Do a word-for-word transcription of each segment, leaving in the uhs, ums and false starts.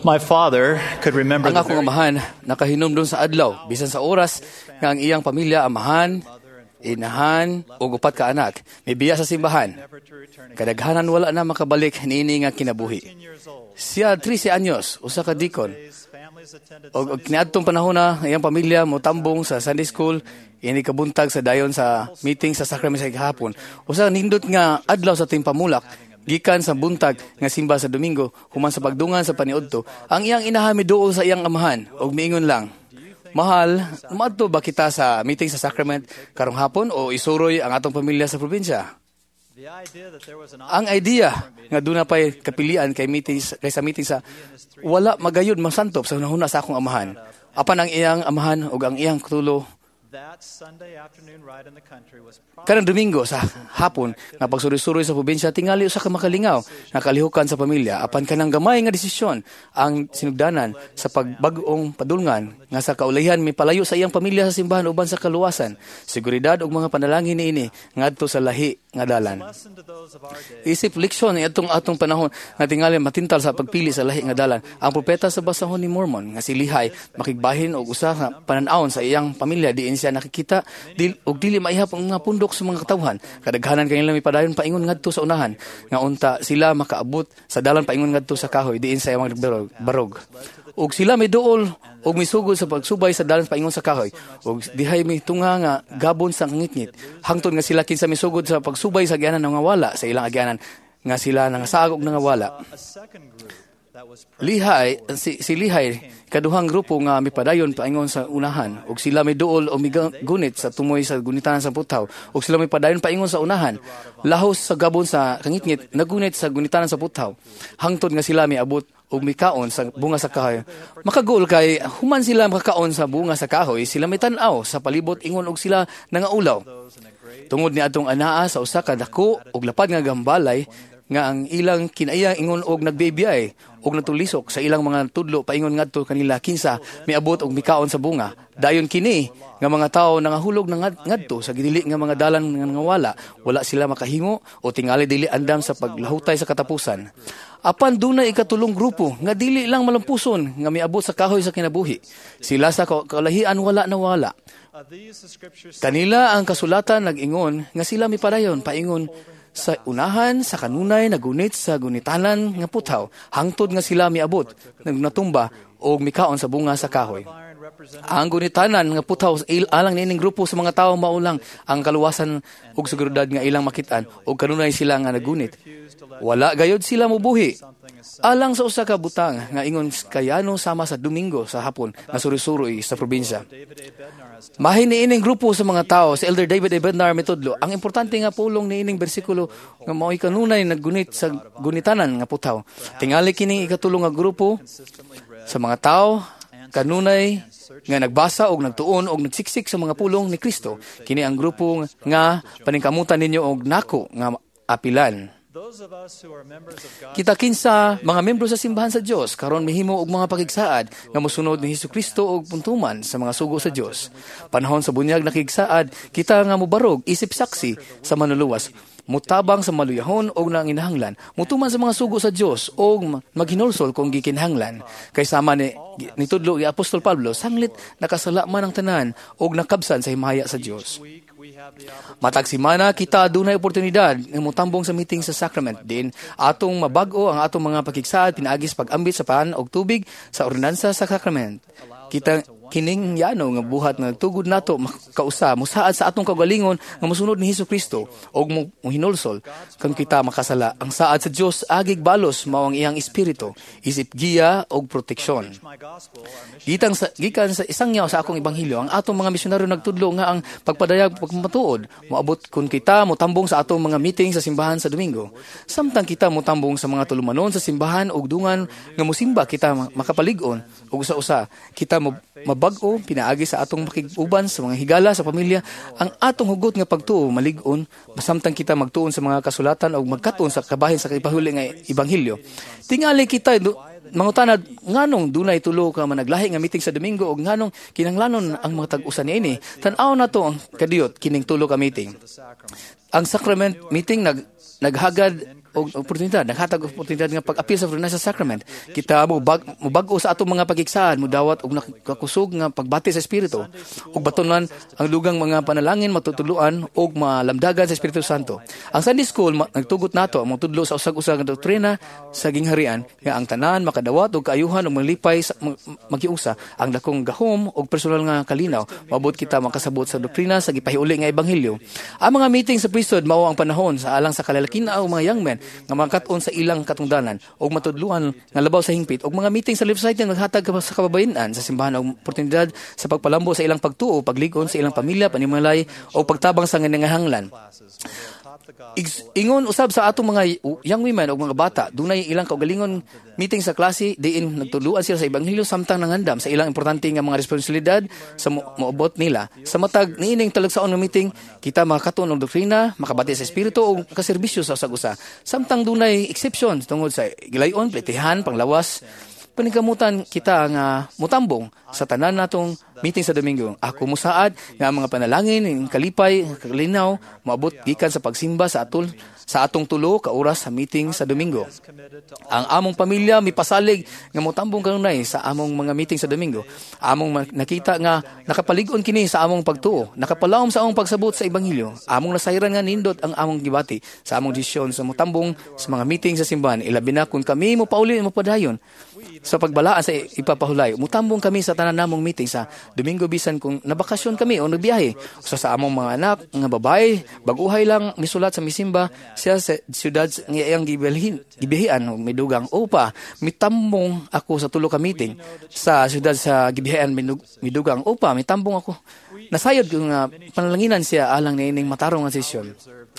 My father could remember Ang the akong very amahan nakahinumdum sa adlaw bisan sa oras nga ang iyang pamilya, amahan, inahan ug upat ka anak mibiya sa simbahan. Never to return again. Kadaghanan wala na makabalik niini nga kinabuhi. thirteen years old. Siya thirteen anyos, usa ka deacon. His families attended Og, og kaniadtong panahon na ang iyang pamilya motambong sa Sunday school, ini kabuntag sa dayon sa meeting sa sacrament sa gihapon. Usa ka nindot nga adlaw sa timpamulak, gikan sa buntag nga simba sa Domingo, human sa pagdungan sa paniudto, ang iyang inahan miduol sa iyang amahan og miingon lang, "Mahal, moadto ba kita sa meeting sa sacrament karong hapon o isuroy ang atong pamilya sa probinsya?" The idea that there was an Ang idea nga duna pay kapilian kay meeting kaysa meeting sa wala magayod masantop sa hunahuna sa akong amahan. Apan ang iyang amahan ug ang iyang tulo That Sunday afternoon ride in the country was probably kanang Domingo sa hapon nga pagsuroy-suroy sa probinsya tingali usa ka makalingaw nga kalihukan sa pamilya, apan kanang gamay nga desisyon ang sinugdanan sa pagbag-ong padulngan nga sa kaulahian mipalayo sa iyang pamilya sa simbahan uban sa kaluwasan, seguridad ug mga panalangin niini ngadto sa lahi nga dalan. Lesson to those of our day. Isip leksyon atong atong panahon nga tingali matintal sa pagpili sa lahi nga dalan. Ang propeta sa basahon ni Mormon nga si Lehi makigbahin og usa ka panan-awon sa iyang pamilya diin siya nakikita dil, og dili maihap ang mga pundok sa mga katawhan. Kadaghanan kanila mipadayon paingon ngadto sa unahan nga unta sila makaabot sa dalan paingon ngadto sa kahoy diin sa iyang barog. barog. Ug sila miduol ug misugod sa pagsubay sa dalan paingon sa kahoy. Ug dihay mitunga nga gabon sa kangitngit. Hangtod nga sila kinsa misugod sa pagsubay sa agyanan nga wala sa ilang agyanan nga sila nangasaag og nangawala. A second group that was Lihay, si, si Lihay, kaduhang grupo nga mipadayon paingon sa unahan, ug sila miduol o migunit sa tumoy sa gunitanan sa puthaw, ug sila mipadayon paingon sa unahan, lahos sa gabon sa kangitngit, nagunit sa gunitanan sa puthaw, hangtod nga sila miabot ug mikaon sa bunga sa kahoy. Makagul kay human sila makakaon sa bunga sa kahoy, sila mitan-aw sa palibot ingon og sila nangaulaw. Tungod ni atong anaa sa usa ka dako ug lapad nga gambalay nga ang ilang kinaiya ingon og nagbibiyay og natulisok sa ilang mga tudlo paingon ngadto kanila kinsa miabot og mikaon sa bunga. Dayon kini nga mga tawo nangahulog na ngad- ngadto sa gidili nga mga dalan nga nangawala, wala sila makahimo o tingali dili andam sa paglahutay sa katapusan. Apan dunay ikatulong grupo nga dili lang malampuson nga miabot sa kahoy sa kinabuhi. Sila sa ka- kalahian wala nawala. Of these, the scriptures Kanila ang kasulatan nag-ingon nga sila mipadayon paingon sa unahan sa kanunay nagunit sa gunitanan nga puthaw hangtod nga sila miabot nagnatumba og mikaon sa bunga sa kahoy. Iron represented Ang gunitanan nga puthaw il alang niining grupo sa mga tawo maulang ang kaluwasan ug seguridad nga ilang makitaan ug kanunay sila nga nagunit. Wala gayod sila mubuhi. Alang sa usa ka butang nga ingon kayano sama sa Domingo sa hapon nga suri-suroy sa probinsya. David A. Bednar has Mahin niining grupo sa mga tao, si Elder David A. Bednar mitudlo, ang importante nga pulong niining bersikulo nga mao'y kanunay naggunit sa gunitanan nga puthaw. Tingali kining ikatulong nga grupo consistently read sa mga tao kanunay nga nagbasa og nagtuon og nagsiksik sa mga pulong ni Kristo. Kini ang grupo nga paningkamutan ninyo og nako nga apilan. Those of us who are members of God Kita kinsa mga membro sa simbahan sa Dios karon mihimo og mga pakigsaad nga mosunod ni Hesukristo og puntuman sa mga sugo sa Dios. Panahon sa bunyag nakigsaad kita nga mobarog isip saksi sa manluluwas, mutabang sa maluyahon og nanginahanglan, mutuman sa mga sugo sa Dios og maghinulsol kung gikinahanglan. Kay sama ni nitudlo ni Apostol Pablo, sanglit nakasala man ang tanan og nakabsan sa himaya sa Dios. Week we have the opportunity Matag simana kita dunay oportunidad nga motambong sa meeting sa sacrament din atong mabag-o ang atong mga pakigsaad pinaagi sa pag-ambit sa pan og tubig sa ordinansa sa sacrament. Kita kining yano nga buhat nga nagtugod nato makausa musaad sa atong kaugalingon nga mosunod ni Hesukristo og mo hinulsol kung kita makasala. Ang saad sa Dios agig balos mao ang iyang espiritu isip giya og proteksyon. My gospel, our mission Gikan sa gikan sa isang yaw sa akong ebanghelyo, ang atong mga misyonaryo nagtudlo nga ang pagpadayag pagmatuod moabot kun kita motambong sa atong mga meeting sa simbahan sa Domingo. Samtang kita motambong sa mga tulumanon sa simbahan ug dungan nga mosimba kita makapalig-on ug usa-usa kita mo- mabag-o pinaagi sa atong makig-uban sa mga higala sa pamilya. Ang atong hugot nga pagtuo malig-on samtang kita magtuon sa mga kasulatan ug magkat-on sa kabahin sa ipahuli nga ebanghelyo. Tingali kita du- mangutana nganong dunay tulo ka managlahi nga meeting sa Domingo ug nganong kinahanglanon ang mga tag-usa niini. Tan-aw nato ang kadiyot kining tulo ka meeting. Ang sacrament meeting nag naghagad og oportunidad, naghatag og oportunidad nga pag-apil sa ordinansa sacrament. Kita mo bag mobag-o sa atong mga pagkigsaad, mudawat og nakakusog nga pagbati sa Espiritu ug batunan ang dugang mga panalangin, matutuluan og malamdagan sa Espiritu Santo. Ang Sunday School ma- nagtugot nato ang tudlo sa usag-usag nga doktrina sa gingharian nga ang tanan makadawat og kaayuhan ug malipay sa mag- magiusa ang dakong gahom og personal nga kalinaw. Maabot kita makasabot sa doktrina sa gipahiuli nga ebanghelyo. Ang mga meeting sa priesthood mao ang panahon sa alang sa kalalakin o mga young men nga makakat-on sa ilang katungdanan og matudluan nga labaw sa hingpit, ug mga meeting sa Relief Society naghatag sa kababayen-an sa simbahan og oportunidad sa pagpalambo sa ilang pagtuo, pagligon sa ilang pamilya, panimalay o pagtabang sa nangangahanglan. Igs- Ingon usab sa atong mga young women o mga bata, dunay ilang kaugalingon meeting sa klase diin nagtuluan sila sa ebanghelyo samtang nangandam sa ilang importante nga mga responsibilidad sa mo- moabot nila. Sa matag niining talagsaon nga meeting, kita makakatuon og doktrina, makabati sa espiritu ug kaserbisyo sa usag-usa. Samtang dunay exception tungod sa gilayon, pletihan, panglawas, paningkamutan kita nga mutambong sa tanan natong meeting sa Domingo. Ako musaad nga ang mga panalangin, ang kalipay, kalinaw, moabot gikan sa pagsimba sa atol sa atong tulo ka oras sa meeting sa Domingo. Ang among pamilya mipasalig nga motambong kanunay sa among mga meeting sa Domingo. Among ma- nakita nga nakapalig-on kini sa among pagtuo, nakapalawom sa among pagsabot sa ebanghelyo. Among nasayran nga nindot ang among gibati sa among desisyon sa motambong sa mga meeting sa simbahan. Ilabi na kung kami mo pauli mo padayon sa pagbalaan sa ipapahulay. Mutambong kami sa tanan namong meeting sa Domingo bisan kung nabakasyon kami o nagbiyahe. Usa sa among mga anak nga babae, baguhay lang misulat sa misimba siya sa siyudad nga iyang gibilhin, gibihian o midugang, "Opa, mitambong ako sa tulo ka meeting sa siyudad sa gibihian." Midugang, "Opa, mitambong ako." Nasayod ko nga panalanginan siya alang niining matarong nga sesyon.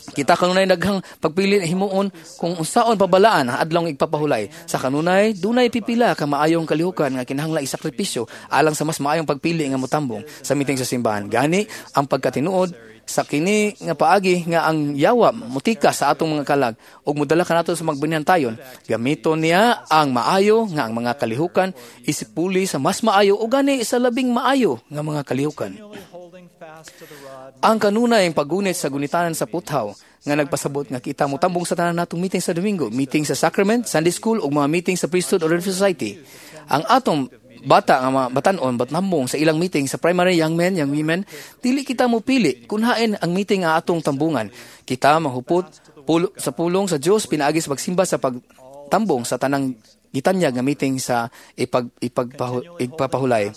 Kita kanunay daghang pagpili na himuon kung unsaon pabalaan ang adlawng igpapahulay. Sa kanunay, dunay pipila ka maayong kalihukan nga kinahanglan isakripisyo alang sa mas maayong pagpili nga motambong sa meeting sa simbahan. Gani, ang pagkatinuod sa kini nga paagi nga ang yawa mutika sa atong mga kalag ug modala kanato sa magbinantayon, gamiton niya ang maayo nga ang mga kalihukan isipuli sa mas maayo o gani sa labing maayo nga mga kalihukan. Holding fast to the rod Ang kanunay ang paggunit sa gunitanan sa puthaw nga nagpasabot nga kita motambong sa tanan natong meeting sa Domingo, meeting sa sacrament, Sunday school ug mga meeting sa priesthood or Relief Society. Ang atong bata nga mga batanon batnambong sa ilang meeting sa primary young men, young women, dili kita mo pili kung hain ang meeting nga atong tambungan. Kita mahupot pulo, sa pulong sa Dios pinaagi sa pagsimba sa pagtambong sa tanang gitanyag nga meeting sa ipag, ipagpahu, igpapahulay.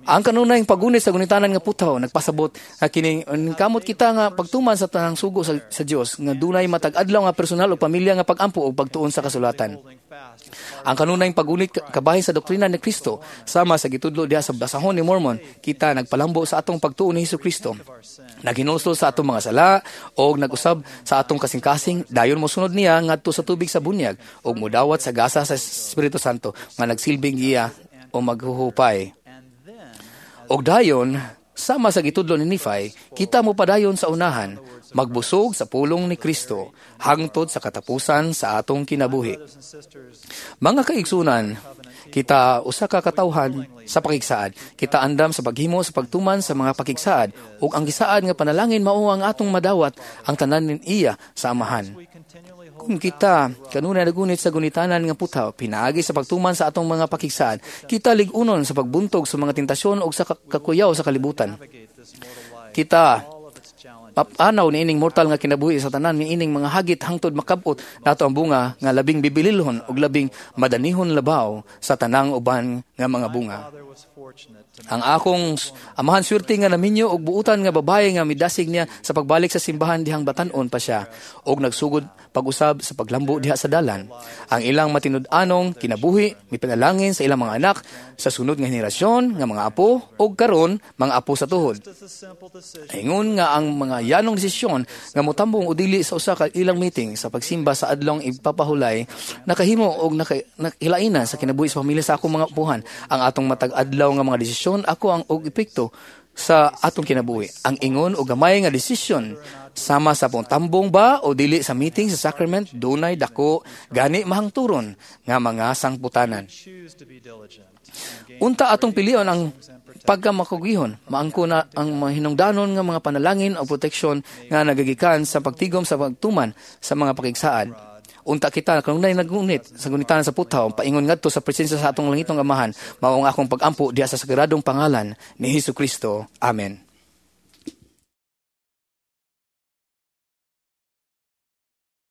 Ang kanunay paggunit sa gunitanan nga puthaw nagpasabot nga kining kamot kita nga pagtuman sa tanang sugo sa, sa Dios nga dunay matag adlaw nga personal o pamilya nga pagampo o pagtuon sa kasulatan. Holding fast Ang kanunay paggunit ka- kabahin sa doktrina ni Kristo sama sa gitudlo diha sa basahon ni Mormon, kita nagpalambo sa atong pagtuo ni Hesus Kristo. Naghinulsol sa atong mga sala og nag-usab sa atong kasing-kasing, dayon mosunod niya ngadto sa tubig sa bunyag ug modawat sa gasa sa Espiritu Santo nga nagsilbing giya o maghuhupay. And then Og dayon, sama sa gitudlo ni Nephi, kita mo padayon sa unahan, magbusog sa pulong ni Kristo, hangtod sa katapusan sa atong kinabuhi. Brothers and sisters, Mga kaigsunan, kita usa ka katawhan sa pakigsaad. Kita andam sa paghimo sa pagtuman sa mga pakigsaad ug ang gisaad nga panalangin mao ang atong madawat ang tanan iya sa Amahan. We continually hold Kung kita kanunay nagunit sa gunitanan nga puthaw pinaagi sa pagtuman sa atong mga pakigsaad, kita lig-unon sa pagbuntog sa mga tentasyon ug sa kakuyaw sa kalibutan. Navigate this mortal life, Kita all of its challenges. Papanaw niining mortal nga kinabuhi sa tanan niining mga hagit hangtod makabot nato ang bunga nga labing bibililhon ug labing madanihon labaw sa tanang uban nga mga bunga. Father was fortunate to Ang akong amahan swerte nga naminyo og buutan nga babae nga midasig niya sa pagbalik sa simbahan dihang batan-on pa siya og nagsugod pag-usab sa paglambo diha sa dalan. Ang ilang matinud-anong kinabuhi mipanalangin sa ilang mga anak sa sunod nga henerasyon nga mga apo og karon mga apo sa tuhod. Just a simple decision Ingon nga ang mga yanong desisyon nga motambong o dili sa usa ka ilang meeting sa pagsimba sa adlong ipapahulay nakahimo og naka, nakilainan sa kinabuhi sa pamilya sa akong mga apuhan. Ang atong matag adlaw nga mga desisyon ako ang og epekto sa atong kinabuhi. Ang ingon og gamay nga desisyon sama sa tambong ba o dili sa meeting sa sacrament dunay dako gani mahangturon nga mga sangputanan. Choose to be diligent and gain Unta atong pilion ang pagkamakugihon, maangko na ang mahinungdanon nga mga panalangin o proteksyon nga nagagikan sa pagtigom sa pagtuman sa mga pakigsaad. Unta kita kanunay nagunit sa gunitanan sa puthaw paingon ngadto sa presensya sa atong langitong Amahan. Mao ang akong pagampo diha sa sagradong pangalan ni Hesus Kristo. Amen.